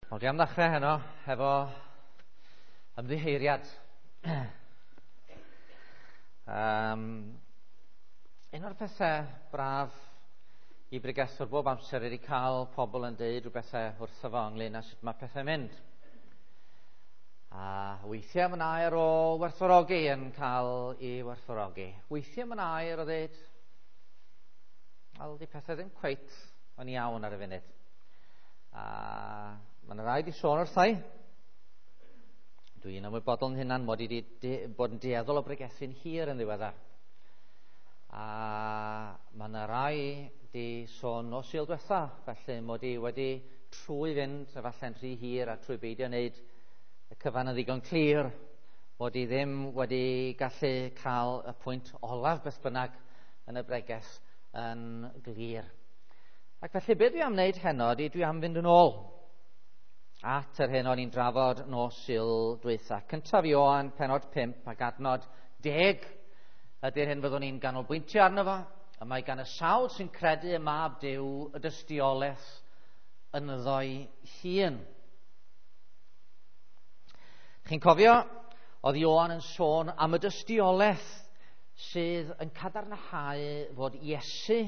Wel, dwi am ddechrau heno hefo ymddiheuriad. Un o'r pethau braf i bregethwr bob amser ydy cael pobl yn deud rhywbethau wrtho fo ynglyn â sut mae pethau'n mynd. A weithiau mae'n air o werthfawrogi yn cael ei werthfawrogi. Weithiau mae'n air o ddeud, wel, di pethau ddim cweit yn iawn ar y funud. A mae'n rhaid i sôn wrthai. Dwi'n ymwybodol yn hunan mod i wedi bod yn dueddol o bregethu'n hir yn ddiweddar. A mae yna rai di sôn nos Sul diwetha, felly mod i wedi trwy fynd efallai'n rhy hir a trwy beidio wneud y cyfan yn ddigon clir, mod i ddim wedi gallu cael y pwynt olaf beth bynnag yn y bregeth yn glir. Ac felly beth dwi am wneud heno ydy dwi am fynd yn ôl at yr hyn o'n i'n drafod nos Sul dwytha. Cyntaf Ioan, penod 5 ac adnod 10 ydy'r hyn fyddwn ni'n ganolbwyntio arno fo. A mae gan y sawl sy'n credu y mab Duw y dystiolaeth ynddo'i hun. Chi'n cofio, oedd Ioan yn sôn am y dystiolaeth sydd yn cadarnhau fod Iesu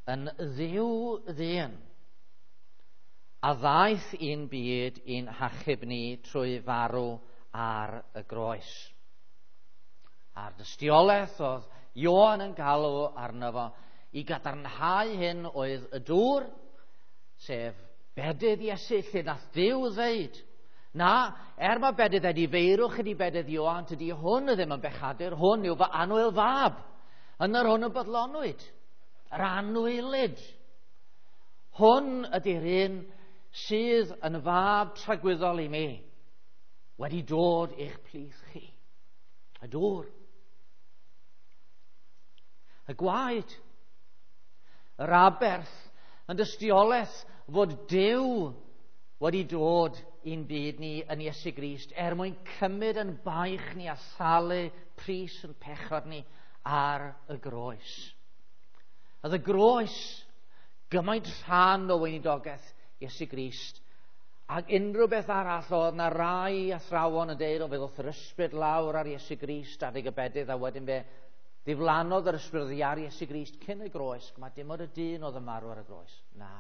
yn ddiw ddyn a ddaeth i'n byd i'n hachub ni trwy farw ar y groes. A'r dystiolaeth oedd Ioan yn galw arno fo i gadarnhau hyn oedd y dŵr, sef bedydd Iesu, lle nath Duw ddeud, na, er mae bedydd edifeirwch ydi bedydd Ioan, tydi hwn ddim yn bechadur, hwn yw fy annwyl fab. Yn yr hwn y bodlonwyd, yr anwylyd. Hwn ydy'r un sydd yn fab tragwyddol i mi, wedi dod i'ch plith chi. Y dŵr. Y gwaed. Yr aberth yn dystiolaeth fod Duw wedi dod i'n byd ni yn Iesu Grist er mwyn cymryd yn baich ni a thalu pris yn pechod ni ar y groes. Oedd y groes gymaint rhan o weinidogaeth Iesu Grist ac unrhyw beth arall. Oedd na rai athrawon yn deud o fe ddoth yr ysbryd lawr ar Iesu Grist adeg y bedydd a wedyn fe ddiflannodd yr ysbryd oddi ar Iesu Grist cyn y groes. Mae dim ond y dyn oedd yn marw ar y groes. Na.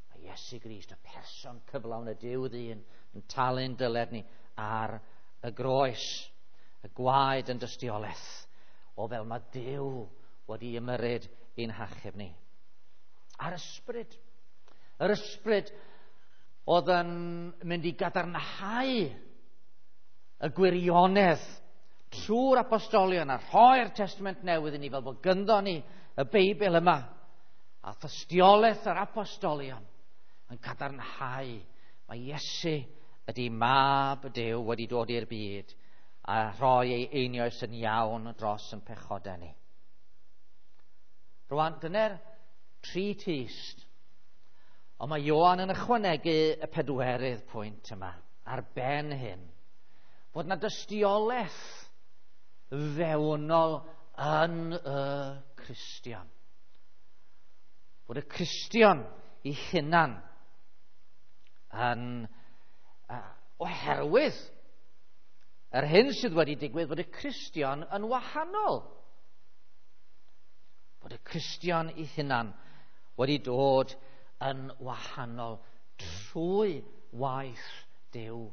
Mae Iesu Grist, y person cyflawn y Duw ddyn, yn talu'n dyled ni ar y groes. Y gwaed yn dystiolaeth o fel mae Duw wedi ymyrryd i'n hachub ni. A'r ysbryd. Yr ysbryd oedd yn mynd i gadarnhau y gwirionedd trwy'r apostolion a rhoi'r Testament Newydd i ni fel bod gynddo ni y Beibl yma a thystiolaeth yr apostolion yn cadarnhau mae Iesu ydy mab Duw wedi dod i'r byd a rhoi ei einioes yn iawn dros yn pechodau ni. Rwan, dyna'r tri tyst. Ond mae Ioan yn ychwanegu y pedwerydd pwynt yma, ar ben hyn, fod na dystiolaeth fewnol yn y Cristion. Bod y Cristion i hunan yn oherwydd yr hyn sydd wedi digwydd, bod y Cristion yn wahanol. Bod y Cristion i hunan wedi dod yn wahanol trwy waith Duw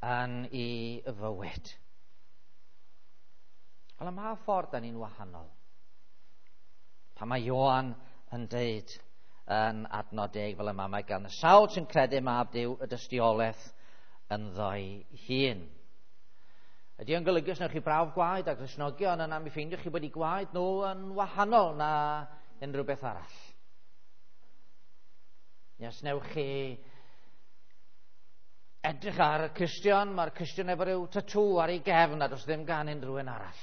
yn ei fywyd. Wel, ym mha ffordd da ni'n wahanol? Pan mae Ioan yn deud yn adnod 10 fel yma, mae gan y sawl sy'n credu mab Duw y dystiolaeth ynddo'i hun. Ydy o'n golygu os newch chi brawf gwaed a Gristnogion yna mi ffeindiwch chi bod eu gwaed nhw yn wahanol na unrhyw beth arall? Neu os newch chi edrych ar y Cristion, mae'r Cristion efo rhyw tatŵ ar ei gefn a does ddim gan unrhyw un arall.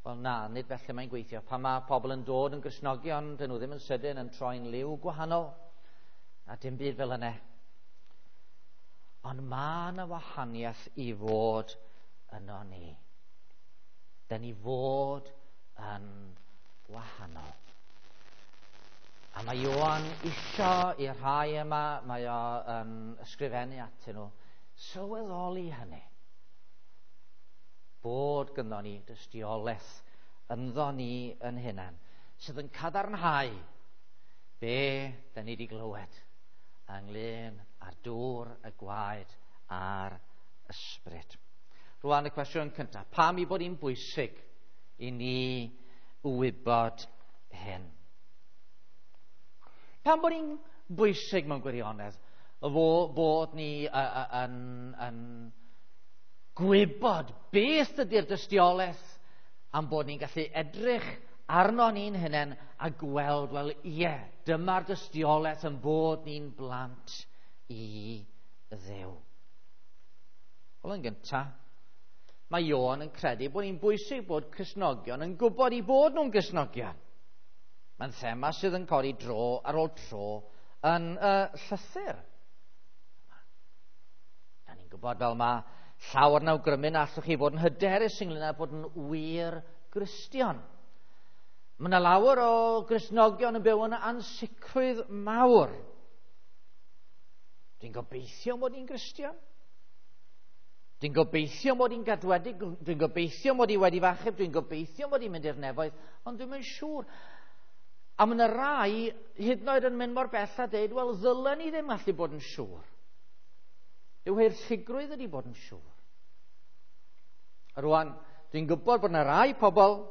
Wel na, nid felly mae'n gweithio. Pan mae pobl yn dod yn Gristnogion, dyn nhw ddim yn sydyn yn troi'n liw gwahanol, a dim byd fel yna. Ond mae yna wahaniaeth i fod yno ni. Dyn ni fod yn wahanol. A mae Ioan isio i'r rhai yma, mae o yn ysgrifennu atyn nhw, sylweddoli hynny. Bod gynnon ni dystiolaeth ynddo ni yn hunan, sydd yn cadarnhau be da ni wedi glywed ynglyn â'r dŵr, y gwaed a'r ysbryd. Rwan y cwestiwn cyntaf, pam i bod hi'n bwysig i ni wybod hyn? Pam bod hi'n bwysig mewn gwirionedd bod ni yn gwybod beth ydy'r dystiolaeth am bod ni'n gallu edrych arno ni'n hunain a gweld, wel ie, dyma'r dystiolaeth yn bod ni'n blant i Dduw. Wel, yn gyntaf, mae Ioan yn credu bod ni'n bwysig bod Cristnogion yn gwybod i bod nhw'n Gristnogion. Mae'n thema sydd yn codi dro ar ôl tro yn y llythyr. Da ni'n gwybod fel mae llawer yn awgrymu na allwch chi fod yn hyderus ynglyn â bod yn wir Gristion. Mae yna lawer o Gristnogion yn byw yn ansicrwydd mawr. Dwi'n gobeithio mod i'n Gristion. Dwi'n gobeithio mod i'n gadwedig, dwi'n gobeithio mod i wedi fachub, dwi'n gobeithio mod i'n mynd i'r nefoedd, ond dwi'n mynd siŵr. A mae yna rai hyd yn oed yn mynd mor bell a deud, wel, ddylen ni ddim allu bod yn siŵr. Yw heirlligrwydd ydy bod yn siŵr. A rwan, dwi'n gwybod bod yna rai pobl,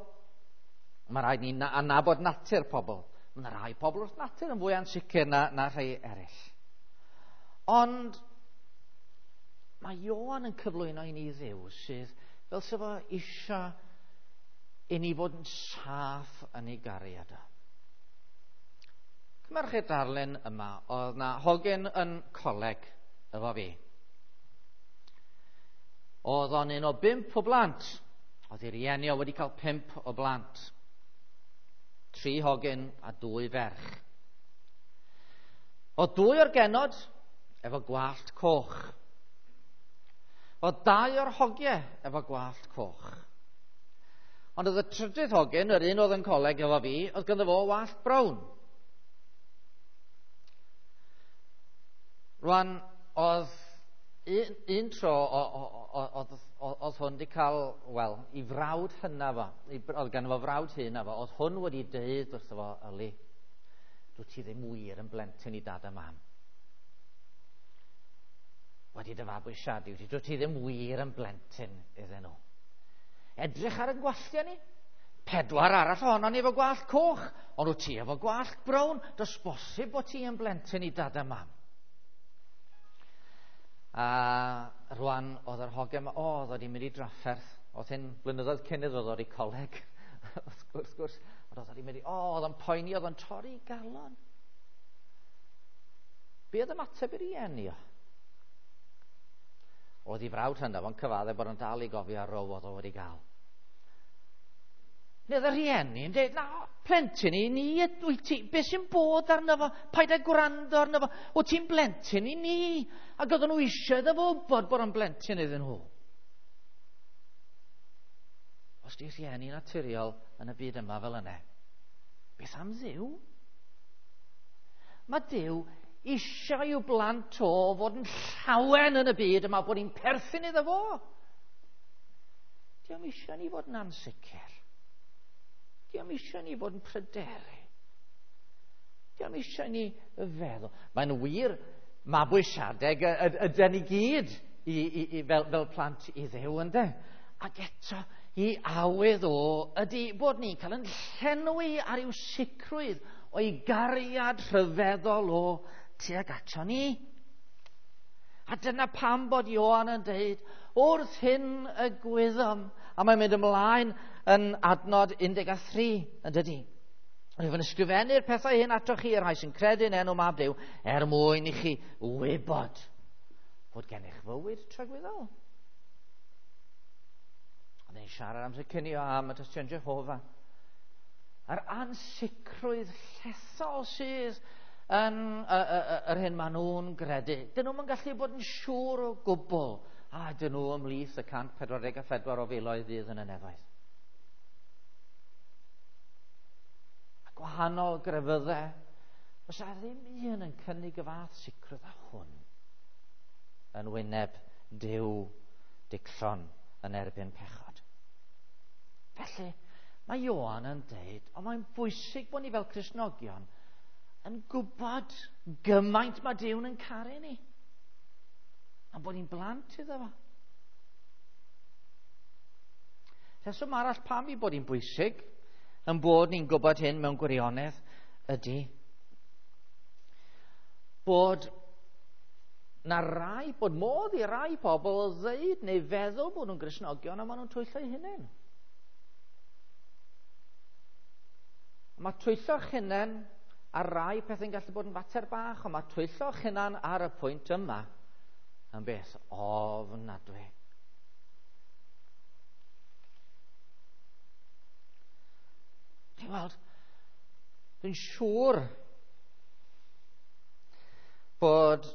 mae rhaid ni anabod natur pobl. Mae yna rai pobl wrth natur yn fwy ansicr na rhai eraill. Ond mae Ioan yn cyflwyno i ni Dduw sydd fel sef o eisiau i ni fod yn saff yn ei gariad o. Cymerwch chi'r darlun yma, oedd na hogyn yn coleg efo fi. Oedd o'n un o 5 o blant. Oedd ei rieni o wedi cael 5 o blant. 3 hogyn a 2 ferch. Oedd 2 o'r genod efo gwallt coch. Oedd 2 o'r hogiau efo gwallt coch. Ond oedd y trydydd hogyn, yr un oedd yn coleg efo fi, oedd ganddo fo wallt brown. Rwan, oedd un tro oedd hwn wedi cael, wel, i frawd hynna fo, oedd ganddo fo frawd hyn fo, oedd hwn wedi deud wrtho fo, yli, dwi ti ddim wir yn blentyn i dad a mam. Wedi dy fabwysiadu, dwi ti ddim wir yn blentyn iddyn nhw. Edrych ar y gwalltiau ni. 4 arall ohono ni efo gwallt coch, ond wyt ti efo gwallt brown, does bosib bod ti yn blentyn i dad a mam. A rwan oedd yr hogan yma, oedd wedi mynd i drafferth, oedd hyn blynyddoedd cyn iddo ddod i coleg, wrth gwrs, ond oedd wedi mynd i, oedd o'n poeni, oedd o'n torri galon. Be oedd ymateb i'r rieni o? Oedd ei frawd hynaf o'n cyfadde bod o'n dal i gofio ar row oedd o wedi gael. Neu oedd y rhieni yn dweud, na, plentyn i ni, wyt ti, beth sy'n bod arno fo? Paid â gwrando arno fo, wyt ti'n blentyn i ni? Ac oedden nhw eisiau iddo fo wybod bod o'n blentyn iddyn nhw. Os di rhieni naturiol yn y byd yma fel yna, beth am Dduw? Mae Duw eisiau i'w blant o fod yn llawen yn y byd yma, bod ni'n perthyn iddo fo. Dio'm eisiau ni fod yn ansicr. Dio'm eisiau ni fod yn pryderu. Dio'm eisiau ni feddwl. Mae'n wir mabwysiadeg ydy ni gyd fel plant i Dduw, ynde? Ac eto, i awydd o ydy bod ni'n cael yn llenwi ar i'w sicrwydd o'i gariad rhyfeddol o tuag ato ni. A dyna pam bod Ioan yn dweud, wrth hyn y gwyddom. A mae'n mynd ymlaen yn adnod 13, yn dydy. Rwyf yn ysgrifennu'r pethau hyn atoch chi, yr rhai sy'n credu yn enw Mab Duw, er mwyn i chi wybod fod gennych fywyd tragwyddol. Ond ni'n siarad amser cinio am y Tystion Jehofa. Yr ansicrwydd llethol sydd yn yr hyn maen nhw'n gredu. Dyn nhw'n gallu bod yn siŵr o gwbl. A dyn nhw ymhlith y 144 o filoedd fydd yn y nefoedd. A gwahanol grefyddau Oes a ddim un yn cynnig y fath sicrwydd â hwn yn wyneb Duw dicllon yn erbyn pechod. Felly, mae Ioan yn deud, ond mae'n bwysig bod ni fel Cristnogion yn gwybod gymaint mae Duw'n yn caru ni. A bod ni'n blant iddo fo. Rheswm arall pam i bod hi'n bwysig yn bod ni'n gwybod hyn mewn gwirionedd ydy bod na rai, bod modd i rai pobl ddeud neu feddwl bod nhw'n Gristnogion a maen nhw'n twyllo eu hunain. Mae twyllo'ch hunain ar rai pethau'n gallu bod yn fater bach, ond mae twyllo'ch hunain ar y pwynt yma yn beth ofnadwy. Chi'n weld, dwi'n siŵr bod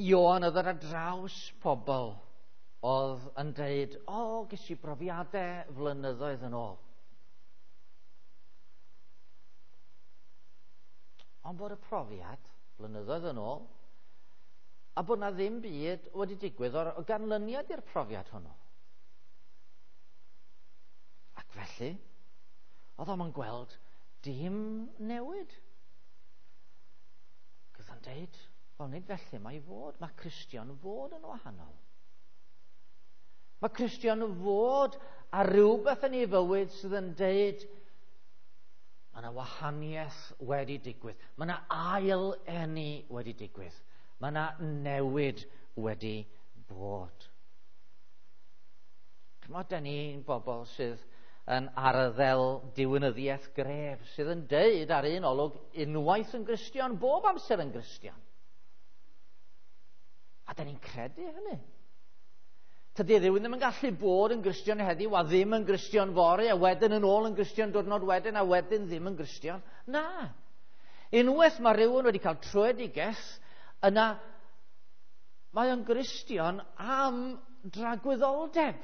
Ioan oedd ar draws pobl oedd yn deud, o, ges i brofiadau flynyddoedd yn ôl. Ond bod y profiad blynyddoedd yn ôl, a bod na ddim byd wedi digwydd o'r ganlyniad i'r profiad hwnnw. Ac felly, oedd o'm yn gweld dim newid. Oedd o'n deud, wel nid felly mae i fod, mae Cristion fod yn wahanol. Mae Cristion fod ar rhywbeth yn ei fywyd sydd yn deud, mae yna wahaniaeth wedi digwydd. Mae yna ail eni wedi digwydd. Mae yna newid wedi bod. Chymod, da ni'n bobl sydd yn arddel diwinyddiaeth gref, sydd yn deud ar un olwg unwaith yn Gristion, bob amser yn Gristion. A da ni'n credu hynny. Tydy rhywun ddim yn gallu bod yn Gristion heddiw a ddim yn Gristion fory, a wedyn yn ôl yn Gristion diwrnod wedyn, a wedyn ddim yn Gristion. Na. Unwaith mae rhywun wedi cael tröedigaeth, yna mae o'n Gristion am dragwyddoldeb.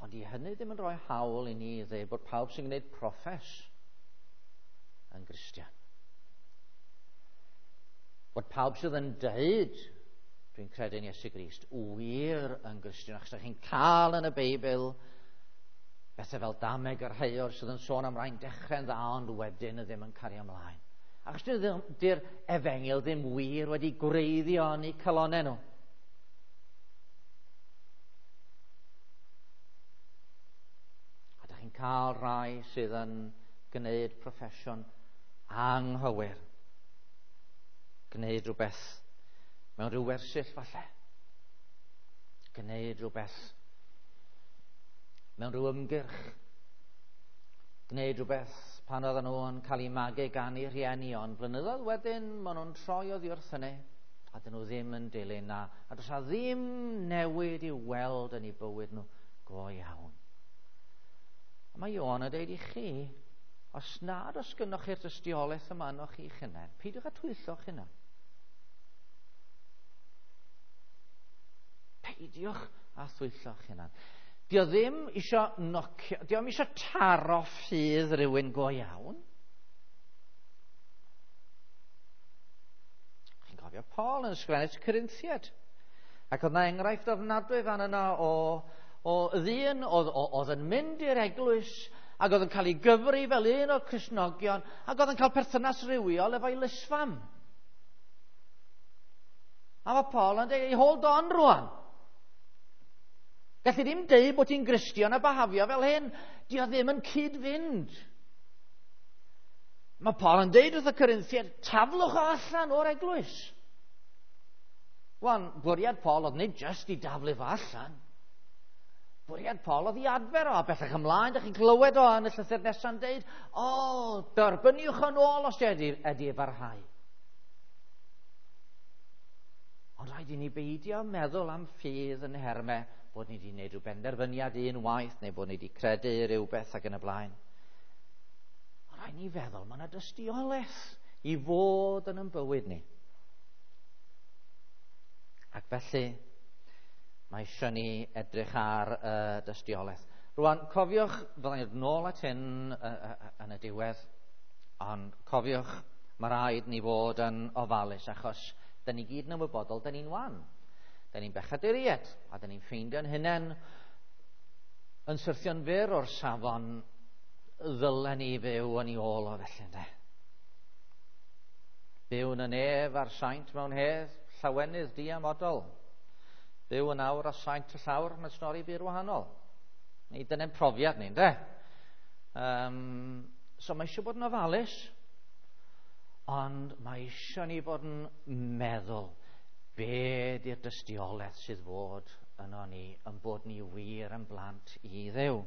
Ond i hynny ddim yn rhoi hawl i ni ddweud bod pawb sy'n gwneud proffes yn Gristion. Bod pawb sydd yn deud, dwi'n credu yn Iesu Grist, wir yn Gristion, achos ydych chi'n cael yn y Beibl bethau fel dameg yr heior sydd yn sôn am rai'n dechrau'n dda ond wedyn ddim yn cario ymlaen. Achos dy'r efengyl ddim wir wedi gwreiddio yn eu calonnau nhw. A ydych chi'n cael rhai sydd yn gwneud proffesiwn anghywir. Gwneud rhywbeth mewn rhyw wersyll falle. Gwneud rhywbeth mewn rhyw ymgyrch. Gwneud rhywbeth pan oedden nhw yn cael eu magu gan eu rhieni, ond blynyddoedd wedyn maen nhw'n troi oddi wrth hynny a dyn nhw ddim yn dilyn na. A does na ddim newid i'w weld yn eu bywyd nhw go iawn. A mae Ioan yn deud i chi, os nad oes gynnoch chi'r dystiolaeth yma ynoch chi'ch hunain, peidiwch â twyllo'ch hunain. Peidiwch â thwyllo'ch hunain. Dio ddim isio nocio, dio ddim isio taro ffydd rhywun go iawn. Chi'n cofio Paul yn ysgrifennu at Corinthiaid. Ac oedd na enghraifft ofnadwy fan yna o ddyn oedd yn mynd i'r eglwys ac oedd yn cael ei gyfri fel un o'r Cristnogion ac oedd yn cael perthynas rywiol efo'i lysfam. A mae Paul yn dweud, hold on rwan. Gallu ddim deud bod ti'n Gristion a bahafio fel hyn. Dio ddim yn cyd-fynd. Mae Paul yn deud wrth y Corinthiaid, taflwch o allan o'r eglwys. Wan, bwriad Paul oedd nid jyst i daflu fo allan. Bwriad Paul oedd i adfer o, a bellach ymlaen, dych chi'n clywed o yn y llythyr nesa'n deud, o, derbyniwch yn ôl os ydy e barhau. Ond rhaid i ni beidio meddwl am ffydd yn nhermau bod ni wedi gwneud rhyw benderfyniad un waith neu bod ni wedi credu rhywbeth ac yn y blaen. Ond rhaid ni feddwl, mae yna dystiolaeth i fod yn ein bywyd ni. Ac felly, mae eisiau ni edrych ar y dystiolaeth. Rwan, cofiwch, fyddai'n dod nôl at hyn yn y diwedd, ond cofiwch, mae rhaid ni fod yn ofalus, achos da ni gyd yn ymwybodol, da ni'n wan. Da ni'n bechaduriaid, a da ni'n ffeindio'n hunain yn syrthio'n fyr o'r safon ddylen ni fyw yn ei ôl o felly, ynde. Byw yn y nef a'r saint mewn hedd, llawenydd diamodol. Byw yn awr a saint y llawr, mae'n stori bur wahanol. Ni dyna'n profiad ni, ynde? So mae eisiau bod yn ofalus, ond mae eisiau ni bod yn meddwl be di'r dystiolaeth sydd fod yno ni, yn bod ni wir yn blant i Dduw.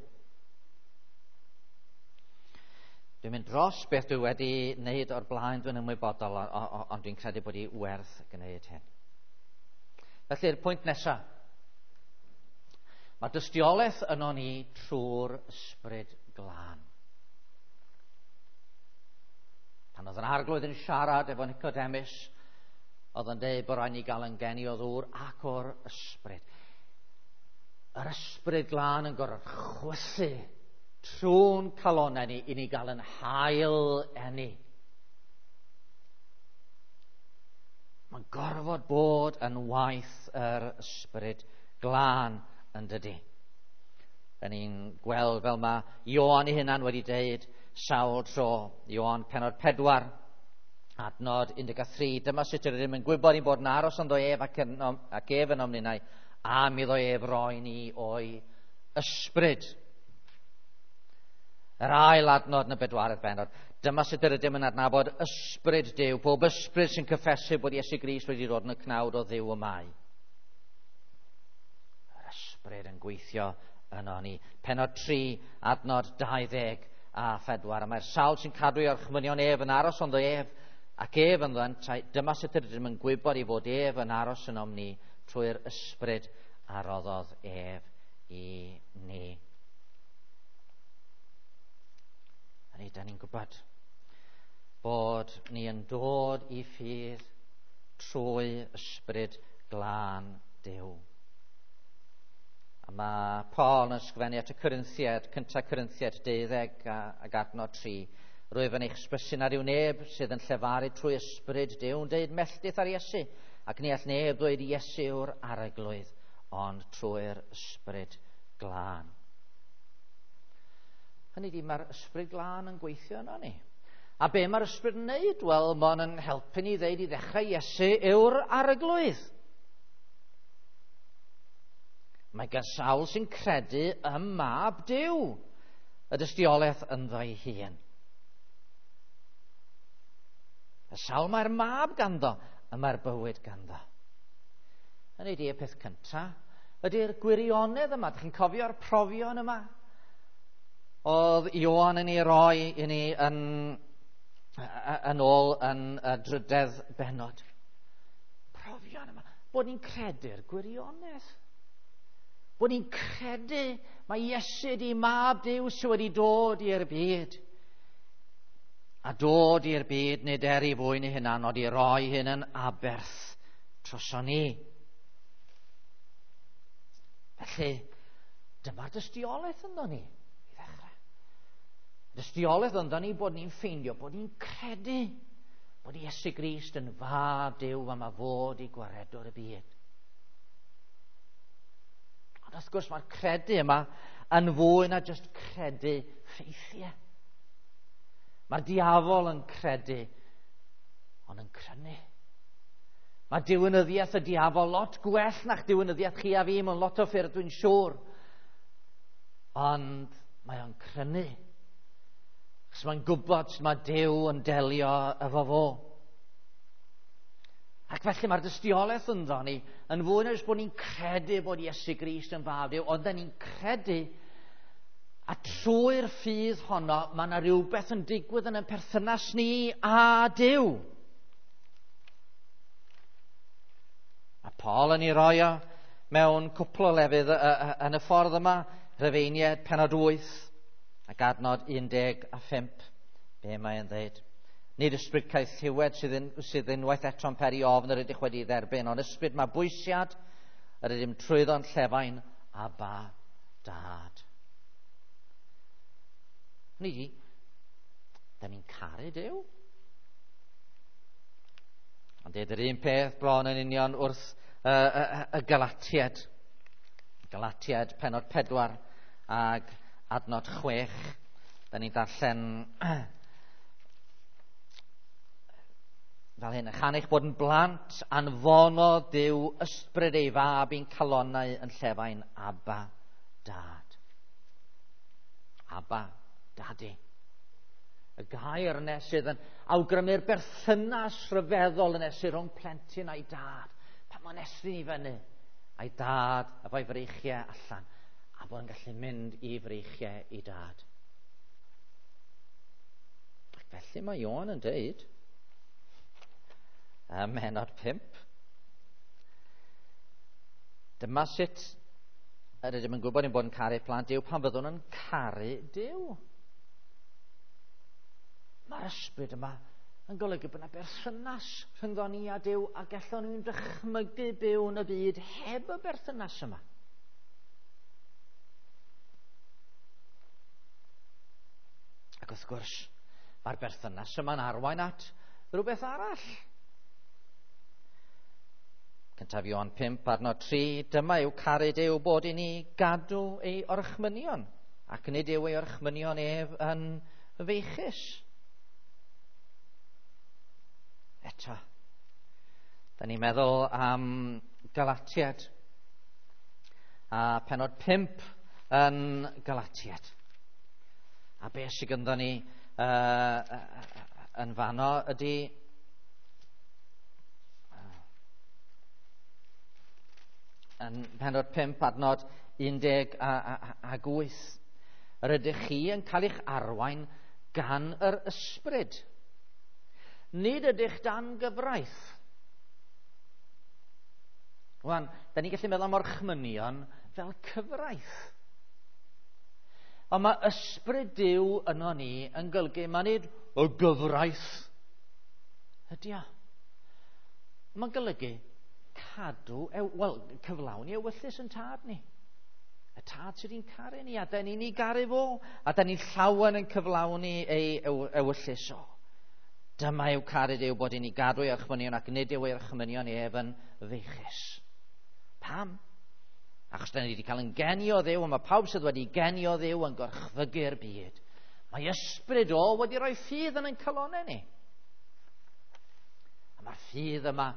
Dwi'n mynd dros beth dwi wedi wneud o'r blaen, dwi'n ymwybodol, ond dwi'n credu bod hi werth gwneud hyn. Felly'r pwynt nesaf. Mae dystiolaeth yno ni trwy'r Ysbryd Glân. Pan oedd yr Arglwydd yn siarad efo Nicodemus, oedd yn dweud bod rhaid ni gael yn geni o ddŵr ac o'r Ysbryd. Yr Ysbryd Glân yn gorfod chwythu trwy'n calonnau ni i ni gael yn hail eni. Mae'n gorfod bod yn waith yr Ysbryd Glân yn dydy. Da ni'n gweld fel mae Ioan ei hunan wedi deud sawl tro. Ioan pennod 4, adnod 13. Dyma sut yr ydym yn gwybod ein bod yn aros ynddo ef ac ef yn omninnau, am iddo ef roi ni o'i ysbryd. Yr ail adnod yn y bedwaredd bennod. Dyma sut yr ydym yn adnabod ysbryd Duw. Pob ysbryd sy'n cyffesu bod Iesu Grist wedi dod yn y cnawd o Dduw y mae. Yr ysbryd yn gweithio yno ni. Pennod 3, adnod 24. A mae'r sawl sy'n cadw ei orchmynion ef yn aros ynddo ef, ac ef ynddo yntau. Dyma sut yr ydym yn gwybod ei fod ef yn aros ynom ni trwy'r ysbryd a roddodd ef i ni. A ni, da ni'n gwybod bod ni yn dod i ffydd trwy ysbryd glân Duw. A mae Paul yn ysgrifennu at y Corinthiaid, 1 Corinthiaid 12 ac adnod 3. Rwyf yn eich hysbysu nad yw neb sydd yn llefaru trwy ysbryd Duw yn deud melltith ar Iesu, ac ni all neb ddweud Iesu yw'r arglwydd, ond trwy'r ysbryd glân. Hynny ydi, mae'r ysbryd glân yn gweithio yno ni. A be mae'r ysbryd yn neud? Wel, mae'n yn helpu ni ddeud i ddechrau Iesu yw'r arglwydd. Mae gan sawl sy'n credu ym mab Duw y dystiolaeth ynddo ei hun. Y sawl mae'r mab ganddo, y mae'r bywyd ganddo. Hynny ydi, y peth cyntaf ydy'r gwirionedd yma. Dych chi'n cofio'r profion yma? Oedd Ioan yn ei roi i ni yn ôl yn y drydedd bennod. Profion yma. Bod ni'n credu'r gwirionedd. Bod ni'n credu mae Iesu di mab Duw sydd wedi dod i'r byd. A dod i'r byd nid er ei fwyn ei hunan, ond i roi hyn yn aberth droson ni. Felly, dyma'r dystiolaeth ynddo ni i ddechrau. Dystiolaeth ynddo ni bod ni'n ffeindio, bod ni'n credu bod Iesu Grist yn fab Duw a mae fod i gwaredwr y byd. Ond wrth gwrs mae'r credu yma yn fwy na jyst credu ffeithiau. Mae'r diafol yn credu, ond yn crynu. Mae diwinyddiaeth y diafol lot gwell na'ch diwinyddiaeth chi a fi mewn lot o ffyrdd, dwi'n siŵr. Ond mae o'n crynu. Achos mae'n gwybod sut mae Duw yn delio efo fo. Ac felly mae'r dystiolaeth ynddo ni yn fwy na jyst bod ni'n credu bod Iesu Grist yn fab Duw, ond ni'n credu a trwy'r ffydd honno mae yna rhywbeth yn digwydd yn ein perthynas ni a Duw. Mae Paul yn ei roi o mewn cwpl o lefydd yn y ffordd yma, Rhufeiniaid pennod 8 ac adnod 15, be mae'n dweud? Nid ysbryd caethiwed sydd unwaith eto'n peri ofn yr ydych wedi dderbyn, ond ysbryd mabwysiad yr ydym trwyddo'n llefain Abba Dad. Hynny ydi, da ni'n caru Duw. Ond deud yr un peth bron yn union wrth y Galatiad. Galatiad pennod 4 ag adnod 6. Da ni'n darllen fel hyn. Chan eich bod yn blant, anfonodd Duw ysbryd ei fab i'n calonnau yn llefain Abba, Dad. Abba, Daddy. Y gair yna sydd yn awgrymu'r berthynas rhyfeddol yna sydd rhwng plentyn a'i dad. Pan mae'n estyn i fyny, a'i dad efo'i freichiau allan, a bod yn gallu mynd i freichiau i dad. Ac felly mae Ioan yn deud, ym mhennod 5, dyma sut yr ydym yn gwybod ein bod yn caru plant Duw pan fyddwn yn caru Duw. Mae'r ysbryd yma yn golygu bod yna berthynas rhyngddo ni a Duw, a gallwn ni'n dychmygu byw yn y byd heb y berthynas yma. Ac wrth gwrs, mae'r berthynas yma'n arwain at rhywbeth arall. Cyntaf Ioan 5, adnod 3, dyma yw caru Duw bod i ni gadw ei orchmynion, ac nid yw ei orchmynion ef yn feichus. Eto, da ni'n meddwl am Galatiad, a pennod 5 yn Galatiad. A beth sydd ganddo ni yn fanno ydy yn pennod 5 adnod 18. Yr ydych chi yn cael eich arwain gan yr ysbryd. Nid ydych dan gyfraith. Wan, da ni'n gallu meddwl am orchmynion fel cyfraith. Ond mae ysbryd Duw yno ni yn golygu mae nid y gyfraith ydy o. Mae'n golygu cadw, wel, cyflawni ewyllys yn tad ni. Y tad sydd wedi'n caru ni, a da ni'n ei garu fo, a da ni'n llawen yn cyflawni ei ewyllys o. Dyma yw caru Duw bod i ni gadw ei orchmynion ac nid yw ei orchmynion ef yn feichus. Pam? Achos da ni wedi cael yn geni o Dduw, a mae pawb sydd wedi geni o Dduw yn gorchfygu'r byd. Mae ysbryd o wedi rhoi ffydd yn ein calonnau ni. A mae'r ffydd yma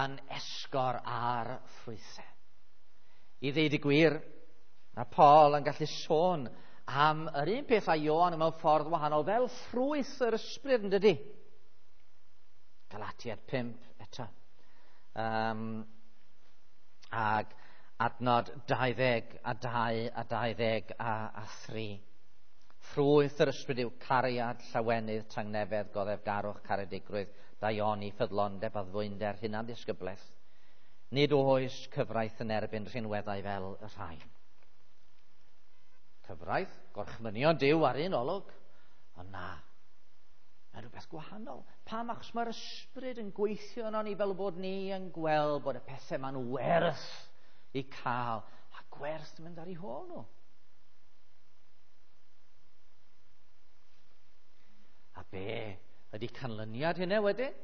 yn esgor ar ffrwythau. I ddeud y gwir, mae Paul yn gallu sôn am yr un peth â Ioan mewn ffordd wahanol fel ffrwyth yr ysbryd, yn dydy? Galatiad 5 eto. Ag adnod 22 a 23. Ffrwyth yr ysbryd yw cariad, llawenydd, tangnefedd, goddefgarwch, caredigrwydd, daioni, ffyddlondeb, addfwynder, hunanddisgyblaeth. Nid oes cyfraith yn erbyn rhinweddau fel y rhain. Cyfraith, gorchmynion Duw ar un olwg, ond na, mae rhywbeth gwahanol. Pam? Achos mae'r ysbryd yn gweithio yno ni fel bod ni yn gweld bod y pethau ma'n werth i cael, a gwerth mynd ar eu hôl nhw. A be ydy canlyniad hynny wedyn?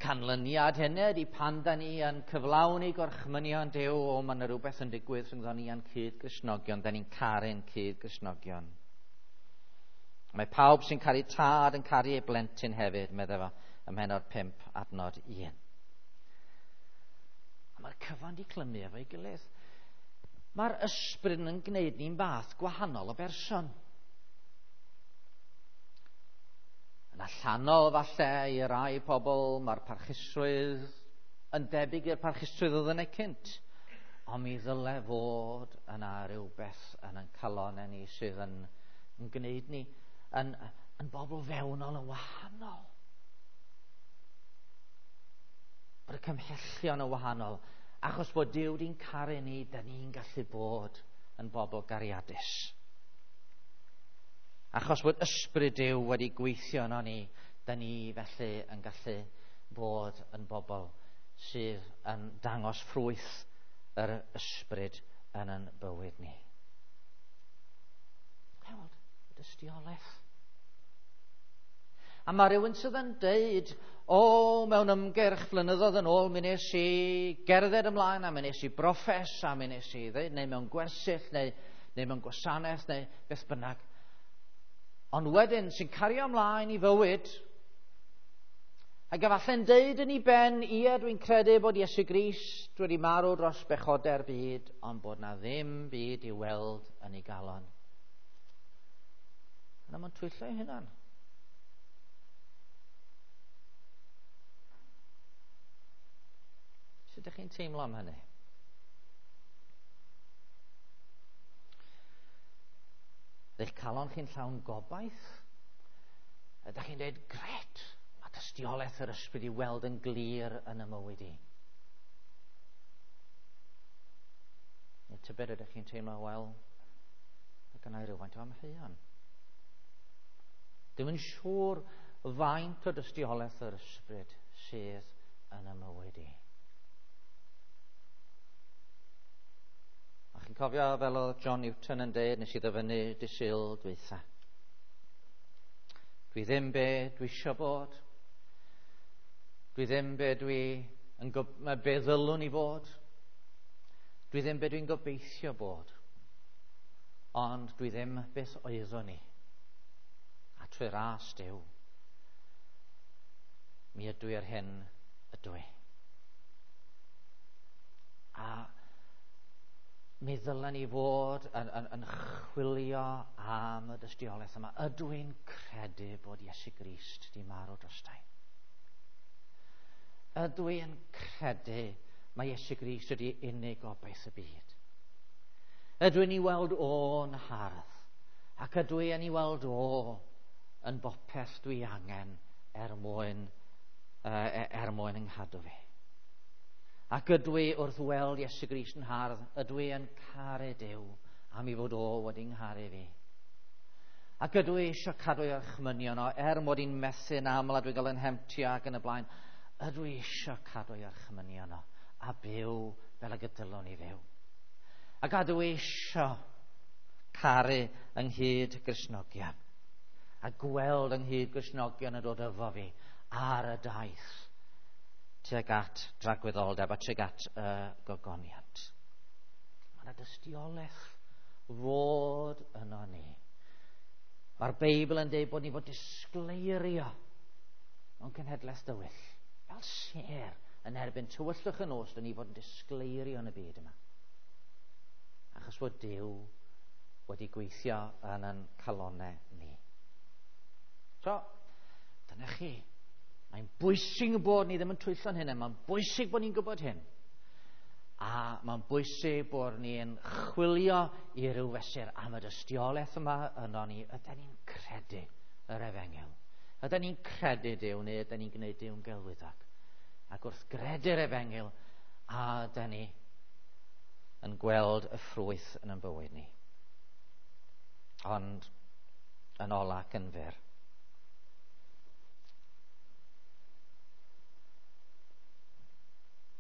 Canlyniad hynny ydy pan da ni yn cyflawni gorchmynion Duw, o, mae yna rhywbeth yn digwydd rhyngddon ni a'n cyd-Gristnogion, da ni'n caru'n cyd-Gristnogion. Mae pawb sy'n caru tad yn caru ei blentyn hefyd, meddai fo ym mhennod 5 adnod 1. A mae'r cyfan di clymu efo'i gilydd. Mae'r ysbryd yn gwneud ni'n fath gwahanol o berson. Yn allanol falle i rai pobl mae'r parchusrwydd yn debyg i'r parchusrwydd oedd yna cynt. Ond mi ddyle fod yna rhywbeth yn ein calonnau ni sydd yn gwneud ni yn bobl fewnol yn wahanol. Bod y cymhellion yn wahanol. Achos bod Duw wedi'n caru ni, da ni'n gallu bod yn bobl gariadus. Achos bod ysbryd Duw wedi gweithio yno ni, da ni felly yn gallu bod yn bobl sydd yn dangos ffrwyth yr ysbryd yn ein bywyd ni. Hewald, Dystiolaeth. A mae rhywun sydd yn deud, o, mewn ymgyrch flynyddoedd yn ôl, mi nes i gerdded ymlaen, a mi nes i broffes, a mi nes i ddeud, neu mewn gwersyll, neu mewn gwasanaeth, neu beth bynnag. Ond wedyn, sy'n cario ymlaen i fywyd, ac efallai'n deud yn ei ben, ie, dwi'n credu bod Iesu Grist wedi marw dros bechodau'r byd, ond bod na ddim byd i weld yn ei galon. Yna mae'n twyllo ei hunan. Sut ydych chi'n teimlo am hynny? Ydych calon chi'n llawn gobaith? Ydych chi'n dweud, gret, mae dystiolaeth yr ysbryd i weld yn glir yn y mywyd i. Neu tybed ydych chi'n teimlo, wel, mae gennau rhywfaint o amheuon. Dim yn siŵr faint o dystiolaeth yr ysbryd sydd yn y mywyd i. A chi'n cofio fel oedd John Newton yn dweud, nes i ddyfynnu dy Sul dwytha. Dwi ddim be dwi eisiau bod. Dwi ddim be dwi yn be ddylwn i fod. Dwi ddim be dwi'n gobeithio bod. Ond dwi ddim beth oeddwn i. A trwy ras Duw, mi ydw i yr hyn ydw i. A mi ddylen ni fod yn chwilio am y dystiolaeth yma. Ydw i'n credu bod Iesu Grist di marw drostai? Ydw i'n credu mae Iesu Grist ydi unig obaith y byd? Ydw i'n ei weld o'n hardd? Ac ydw i'n ei weld o yn bopeth dwi angen er mwyn yng nghadw fi? Ac ydw i wrth weld Iesu Grist yn hardd, ydw i yn caru Duw am i fod o wedi ngharu fi? Ac ydw i eisiau cadw ei orchmynion o, er mod i'n methu'n aml a dwi'n cael yn hemtio ac yn y blaen, ydw i eisiau cadw ei orchmynion o a byw fel y dylwn i fyw? Ac ydw i eisiau caru ynghyd Gristnogion a gweld ynghyd Gristnogion yn dod efo fi ar y daith tuag at dragwyddoldeb a tuag at y gogoniant. Mae yna dystiolaeth fod yno ni. Mae'r Beibl yn dweud bod ni fod disgleirio mewn cenhedlaeth dywyll. Fel sêr yn erbyn tywyllwch y nos, dyn ni fod yn disgleirio yn y byd yma. Achos bod Duw wedi gweithio yn ein calonnau ni. So, dyna chi. Mae'n bwysig bod ni ddim yn twyllo'n hynny. Mae'n bwysig bod ni'n gwybod hyn. A mae'n bwysig bod ni'n chwilio i ryw fesur am y dystiolaeth yma yno ni. Ydyn ni'n credu yr efengyl? Ydyn ni'n credu Duw neu ydyn ni'n gwneud Duw'n gelwyddog? Ac wrth gredu'r efengyl, a ydyn ni yn gweld y ffrwyth yn ein bywyd ni. Ond yn ola ac yn fyr,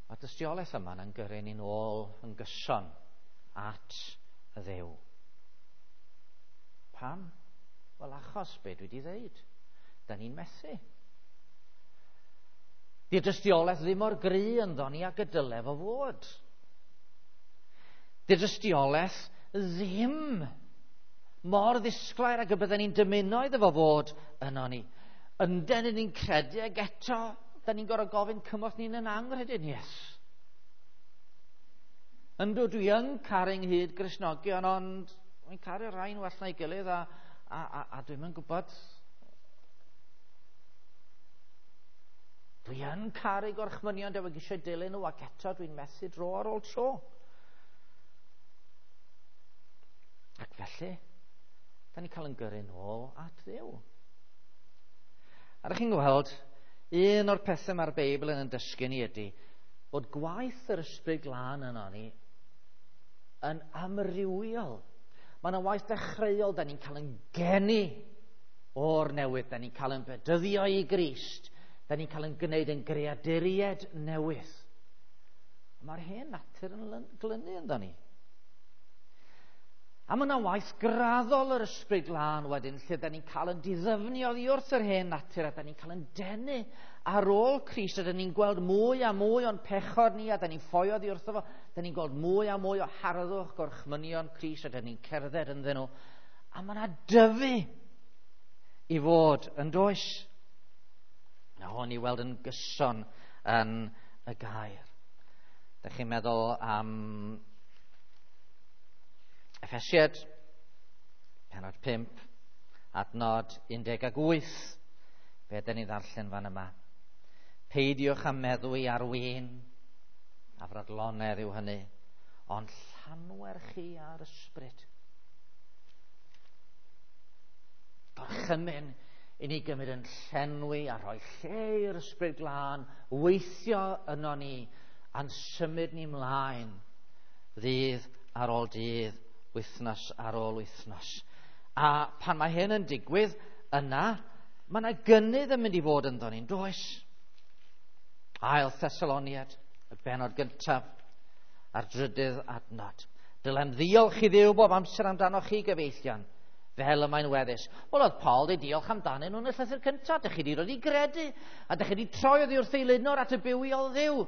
mae'r dystiolaeth yma yn gyrru ni'n ôl yn gyson at y Dduw. Pam? Wel, achos be dwi wedi ddeud. Da ni'n methu. Di'r dystiolaeth ddim mor gry ynddo ni ag y dyle fo fod. Di'r dystiolaeth ddim mor ddisglair ag y bydden ni'n dymuno iddo fo fod yno ni. Ynden ni'n credu ag eto, da ni'n gorfod gofyn cymorth ni'n yn anghrediniaeth. Yndw, dwi yn caru ynghyd Gristnogion, ond dwi'n caru rhai'n well na'i gilydd a dwi'm yn gwybod. Dwi yn caru gorchmynion, dwi eisiau dilyn nhw, ac eto dwi'n methu dro ar ôl tro. Ac felly, da ni'n cael yn gyrru nôl at Dduw. A ydych chi'n gweld, un o'r pethau mae'r Beibl yn dysgu ni ydy bod gwaith yr Ysbryd Glân yno ni yn amrywiol. Mae yna waith dechreuol, da ni'n cael yn geni o'r newydd, da ni'n cael yn bedyddio i Grist, da ni'n cael yn gwneud yn greaduried newydd. Mae'r hen natur yn glynu ynddo ni. A mae yna waith graddol yr Ysbryd Glân wedyn, lle da ni'n cael yn diddyfnu oddi wrth yr hen natur, a da ni'n cael yn denu ar ôl Crist, a da ni'n gweld mwy a mwy o'n pechod ni, a da ni'n ffoi oddi wrtho fo, da ni'n gweld mwy a mwy o harddwch gorchmynion Crist, a da ni'n cerdded ynddyn nhw. A mae yna dyfu i fod yn does. Na hwn i weld yn gyson yn y gair. Da chi'n meddwl am Effesiad, penod 5, adnod 18. Be ydyn ni ddarllen fan yma? Peidiwch â meddwi ar win, a fradlonedd yw hynny, ond llanwer chi ar ysbryd. Gorchymyn i ni gymryd yn llenwi a rhoi lle i'r Ysbryd Glân weithio yno ni a'n symud ni mlaen ddydd ar ôl dydd, wythnos ar ôl wythnos. A pan mae hyn yn digwydd, yna, mae yna gynnydd yn mynd i fod ynddo ni'n does? Ail Thessaloniad, y bennod gyntaf, a'r drydydd adnod. Dylem ddiolch i Dduw bob amser amdanoch chi, gyfeillion, fel y mae'n weddus. Wel, oedd Paul wedi diolch amdanyn nhw yn y llythyr cyntaf. Dych chi wedi dod i gredu, a dych chi wedi troi oddi wrth eilunor at y bywiol Dduw.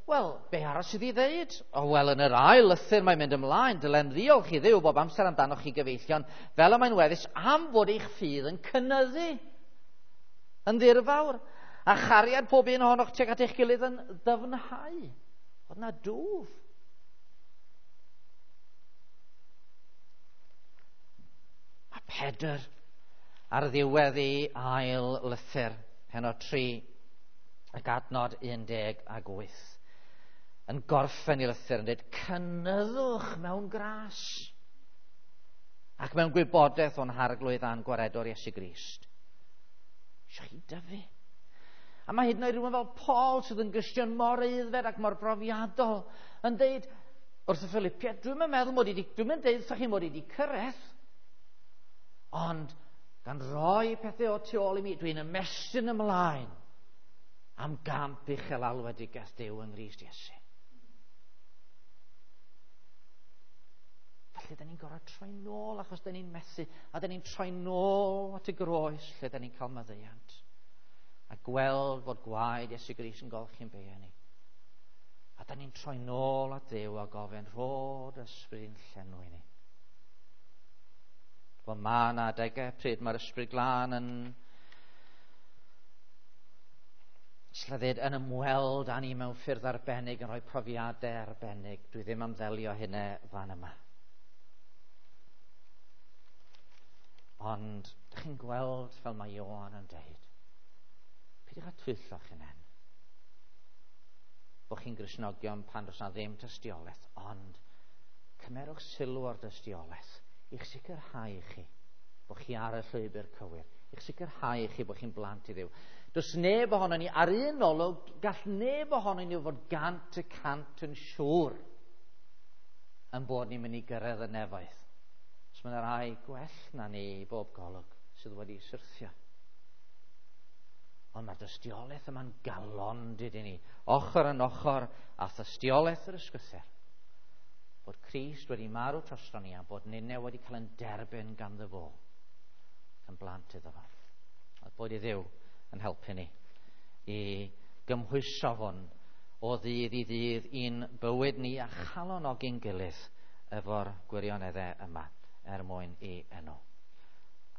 Wel, be arall sydd i ddeud? O, wel, yn yr ail lythyr mae'n mynd ymlaen. Dylem ddiolch i Dduw bob amser amdanoch chi, gyfeillion, fel y mae'n weddus, am fod eich ffydd yn cynyddu yn ddirfawr, a chariad pob un ohonoch tuag at eich gilydd yn ddyfnhau. Oedd na dwf. A Pedr ar ddiwedd ei ail lythyr, penod 3, ac adnod 18, yn gorffen ei lythyr yn dweud, cynyddwch mewn gras ac mewn gwybodaeth o'n Harglwydd a'n Gwaredwr Iesu Grist. Eisiau chi dyfu. A mae hyd yn oed rhywun fel Paul sydd yn Gristion mor aeddfed ac mor brofiadol yn dweud wrth y Philippiaid, dwi'm yn meddwl mod i wedi, dwi'm yn dweud wrthych chi mod i wedi cyrraedd, ond gan roi pethau o tu ôl i mi, dwi'n ymestyn ymlaen am gamp uchel alwedigaeth Duw yng Nghrist Iesu. Felly, da ni'n gorfod troi nôl achos da ni'n methu, a da ni'n troi nôl at y groes lle da ni'n cael maddeuant. A gweld fod gwaed Iesu Grist yn golchi'n beiau ni. A da ni'n troi nôl at Dduw a gofyn, rhod ysbryd i'n llenwi ni. Wel, mae yna adegau pryd mae'r Ysbryd Glân yn sleddyd yn ymweld â ni mewn ffyrdd arbennig, yn rhoi profiadau arbennig. Dwi ddim am ddelio hynna fan yma. Ond, dych chi'n gweld fel mae Ioan yn deud, peidiwch â twyllo'ch hunain. Bod chi'n Gristnogion pan does na ddim tystiolaeth, ond cymerwch sylw o'r dystiolaeth i'ch sicrhau chi bod chi ar y llwybr cywir, i'ch sicrhau chi bod chi'n blant i Dduw. Does neb ohono ni, ar un olwg, gall neb ohono ni fod 100% yn siŵr yn bod ni'n mynd i gyrraedd y nefoedd. Os mae yna rai gwell na ni i bob golwg sydd wedi syrthio. Ond mae'r dystiolaeth yma'n galondid i ni, ochr yn ochr â thystiolaeth yr Ysgrythur, bod Crist wedi marw drosto ni a bod ninne wedi cael yn derbyn ganddo fo, yn blant iddo fo. A bod i Dduw yn helpu ni i gymhwyso hwn o ddydd i ddydd i'n bywyd ni a chalonogi'n gilydd efo'r gwirioneddau yma er mwyn i enw.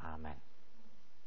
Amen.